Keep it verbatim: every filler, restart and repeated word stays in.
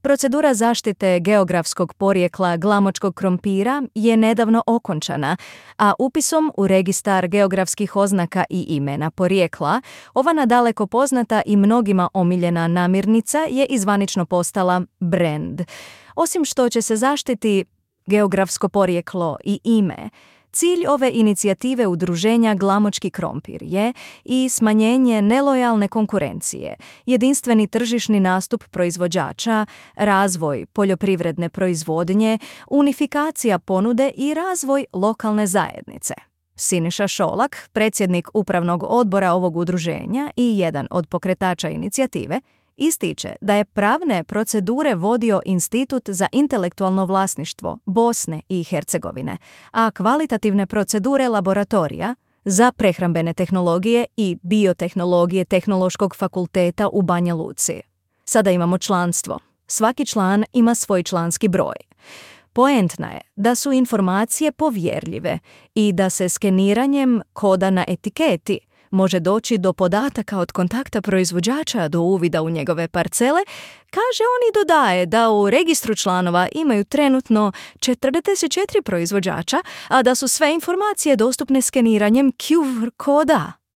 Procedura zaštite geografskog porijekla glamočkog krompira je nedavno okončana, a upisom u registar geografskih oznaka i imena porijekla, ova nadaleko poznata i mnogima omiljena namirnica je izvanično postala brand. Osim što će se zaštiti geografsko porijeklo i ime, cilj ove inicijative udruženja Glamočki krompir je i smanjenje nelojalne konkurencije, jedinstveni tržišni nastup proizvođača, razvoj poljoprivredne proizvodnje, unifikacija ponude i razvoj lokalne zajednice. Siniša Šolak, predsjednik upravnog odbora ovog udruženja i jedan od pokretača inicijative, ističe da je pravne procedure vodio Institut za intelektualno vlasništvo Bosne i Hercegovine, a kvalitativne procedure laboratorija za prehrambene tehnologije i biotehnologije Tehnološkog fakulteta u Banja Luci. Sada imamo članstvo. Svaki član ima svoj članski broj. Poentna je da su informacije povjerljive i da se skeniranjem koda na etiketi može doći do podataka od kontakta proizvođača do uvida u njegove parcele, kaže on i dodaje da u registru članova imaju trenutno četrdeset četiri proizvođača, a da su sve informacije dostupne skeniranjem Q R koda.